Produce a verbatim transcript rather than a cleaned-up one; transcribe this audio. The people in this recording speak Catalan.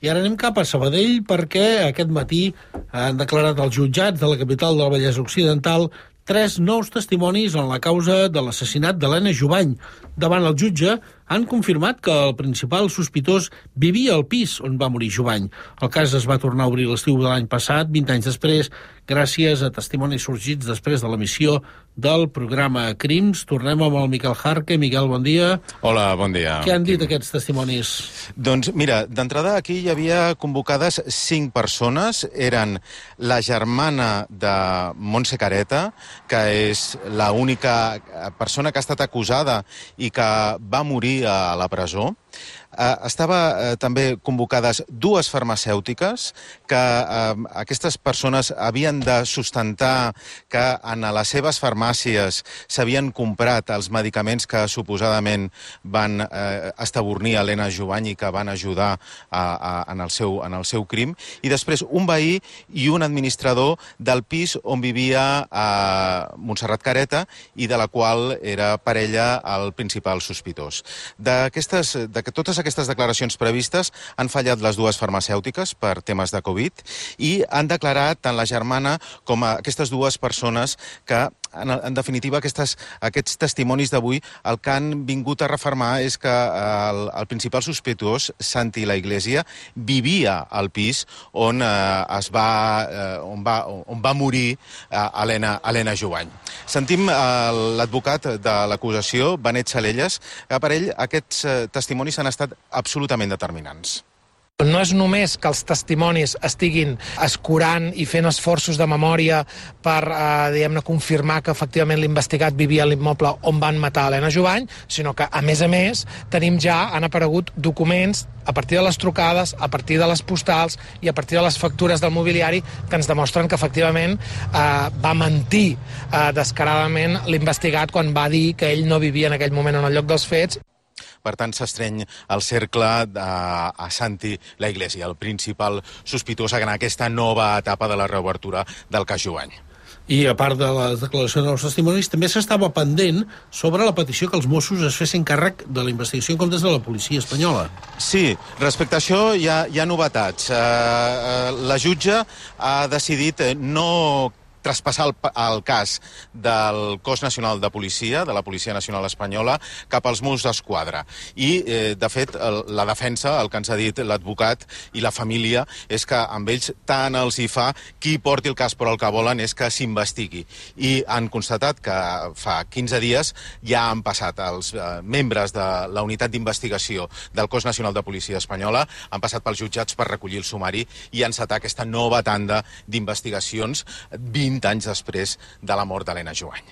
I ara anem cap a Sabadell perquè aquest matí han declarat els jutjats de la capital del Vallès Occidental tres nous testimonis en la causa de l'assassinat d'Helena Jubany. Davant el jutge han confirmat que el principal sospitós vivia al pis on va morir Jubany. El cas es va tornar a obrir l'estiu de l'any passat, vint anys després, gràcies a testimonis sorgits després de l'emissió del programa Crims. Tornem amb el Miquel Jarque. Miquel, bon dia. Hola, bon dia. Què han dit aquests testimonis? Doncs mira, d'entrada aquí hi havia convocades cinc persones. Eren la germana de Montse Careta, que és l'única persona que ha estat acusada i que va morir a la presó. Uh, estava uh, també convocades dues farmacèutiques que uh, aquestes persones havien de sustentar que en les seves farmàcies s'havien comprat els medicaments que suposadament van uh, estabornir Helena Jubany i que van ajudar a, a, en, el seu, en el seu crim. I després un veí i un administrador del pis on vivia uh, Montserrat Careta i de la qual era parella el principal sospitós. D'aquestes, de que totes aquestes declaracions previstes han fallat les dues farmacèutiques per temes de Covid i han declarat tant la germana com aquestes dues persones que, en, en definitiva, aquestes, aquests testimonis d'avui el que han vingut a refermar és que el, el principal sospitós, Santi La Iglesia, vivia al pis on, eh, es va, eh, on, va, on va morir eh, Helena, Helena Jubany. Sentim eh, l'advocat de l'acusació, Benet Salelles, que per ell aquests eh, testimonis han estat absolutament determinants. No és només que els testimonis estiguin escurant i fent esforços de memòria per, eh, diguem-ne, confirmar que efectivament l'investigat vivia a l'immoble on van matar Helena Jubany, sinó que, a més a més, tenim ja, han aparegut documents a partir de les trucades, a partir de les postals i a partir de les factures del mobiliari que ens demostren que, efectivament, eh, va mentir eh, descaradament l'investigat quan va dir que ell no vivia en aquell moment en el lloc dels fets. Per tant, s'estreny el cercle de, a Santi La Iglesia, el principal sospitós en aquesta nova etapa de la reobertura del cas Jubany. I a part de les declaracions dels testimonis, també s'estava pendent sobre la petició que els Mossos es fessin càrrec de la investigació en comptes de la policia espanyola. Sí, respecte a això hi ha, hi ha novetats. Uh, la jutge ha decidit no traspassar el, el cas del Cos Nacional de Policia, de la Policia Nacional Espanyola, cap als Mossos d'Esquadra. I, eh, de fet, el, la defensa, el que ens ha dit l'advocat i la família, és que amb ells tant els hi fa qui porti el cas, però el que volen és que s'investigui. I han constatat que fa quinze dies ja han passat els eh, membres de la unitat d'investigació del Cos Nacional de Policia Espanyola, han passat pels jutjats per recollir el sumari i encetar aquesta nova tanda d'investigacions vint anys després de la mort d'Helena Jubany.